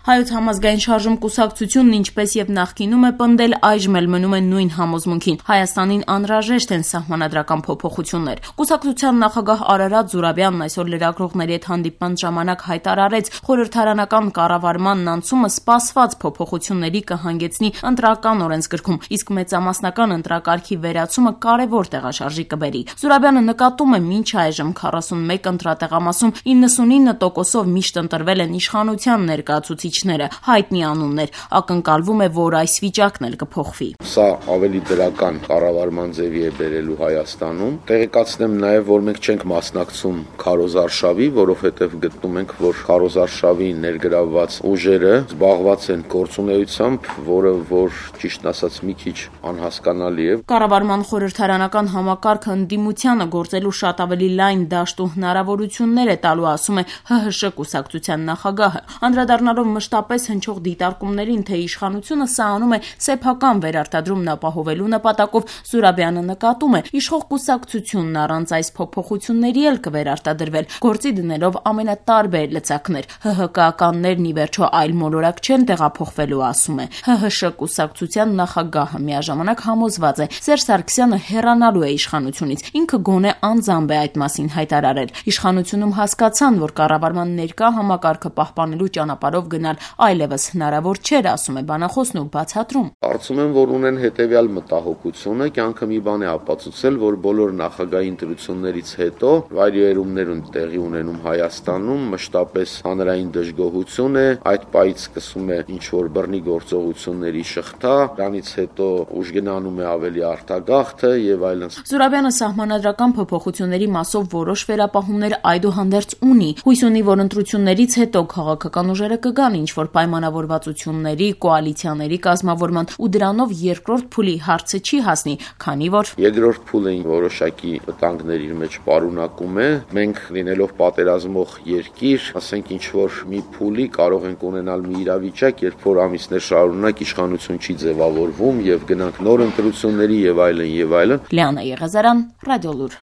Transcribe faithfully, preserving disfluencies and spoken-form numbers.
Հայոց համազգային շարժում կուսակցությունն ինչպես եւ նախկինում է պնդել, այժմ էլ մնում է նույն համոզմունքին. Հայաստանին անհրաժեշտ են սահմանադրական փոփոխություններ։ Կուսակցության նախագահ Արարատ Զուրաբյանն այսօր լրագրողների հետ հանդիպման ժամանակ հայտարարեց, խորհրդարանական կառավարման անցումը սպասված փոփոխությունների կհանգեցնի ընտրական օրենսգրքում, իսկ մեծամասնական ընտրակարգի վերացումը կարևոր տեղաշարժի կբերի։ Զուրաբյանը նկատում է, մինչ այժմ քառասունմեկ ընտրատեղամասում իննսունինը տոկոսով միշտ ընտրվել են իշխանության ներկայացուցիչները, հայտնի անուններ, ակնկալվում է, որ այս վիճակն էլ կփոխվի։ Սա ավելի դրական կառավարման ձևի է բերելու Հայաստանում։ Տեղեկացնեմ նաև, որ մենք չենք մասնակցում քարոզարշավի, որովհետև գտնում ենք, որ քարոզարշավի ներգրավված ուժերը զբաղված են գործունեությամբ, որը որ ճիշտն ասած մի քիչ անհասկանալի է։ Կառավարման խորհրդարանական համակարգը ընդդիմությանը գործելու շատ ավելի լայն դաշտ ու հնարավորություններ է տալու, ասում է ՀՀՇ կուսակցության նախագահը։ Անդրադառնալով մշտապես հնչող դիտարկումներին, թե իշխանությունը սա անում է սեփական վերարտադրումն ապահովելու նպատակով, Զուրաբյանը նկատում է, իշխող կուսակցությունն առանց այս փոփոխությունների էլ կվերարտադրվել, գործի դնելով ամենատարբեր լծակներ։ ՀՀԿ-ականներն ի վերջո այլ մոլորակ չեն տեղափոխվելու, ասում է։ ՀՀՇ կուսակցության նախագահը միաժամանակ համոզված է, Սերժ Սարգսյանը հեռանալու է իշխանությունից, ինքը գոնե անձամբ է այդ մասին հայտարարել։ Իշխանությունում հասկացան, որ կառավարման ներկա համակարգը պահպանելու ճանապարհով գնալ այլևս հնարավոր չէր, ասում է բանախոսն ու բացատրում։ Կարծում եմ, որ ունեն հետևյալ մտահոգությունը, կյանքը մի բան է ապացուցել, որ բոլոր նախագահի ընտրություններից հետո վայրիվերումներ են տեղի ունենում Հայաստանում, մշտապես հանրային դժգոհություն է, այդ պայից սկսում է ինչ որ բռնի գործողությունների շղթա, դրանից հետո ուժգնանում է ավելի արտագաղթը եւ այլն։ Զուրաբյանը սահմանադրական փոփոխությունների մասով որոշ վերապահումներ այդուհանդերձ ունի, հույս ունի, որ ընտրություններից հետո քաղաքական ուժերը կգան ինչ որ պայմանավորվածությունների, կոալիցիաների կազմավորման ու դրանով երկրորդ փուլի հարցը չի հասնի, քանի որ երկրորդ փուլը որոշակի վտանգներ իր մեջ պարունակում է։ Մենք լինելով պատերազմող երկիր, ասենք ինչ որ մի փուլի կարող ենք ունենալ մի իրավիճակ, երբ որ ամիսներ շարունակ իշխանություն չի ձևավորվում եւ գնանք նոր ընտրությունների եւ այլն եւ այլն։ Լիանա Եղազարյան, Ռադիոլուր։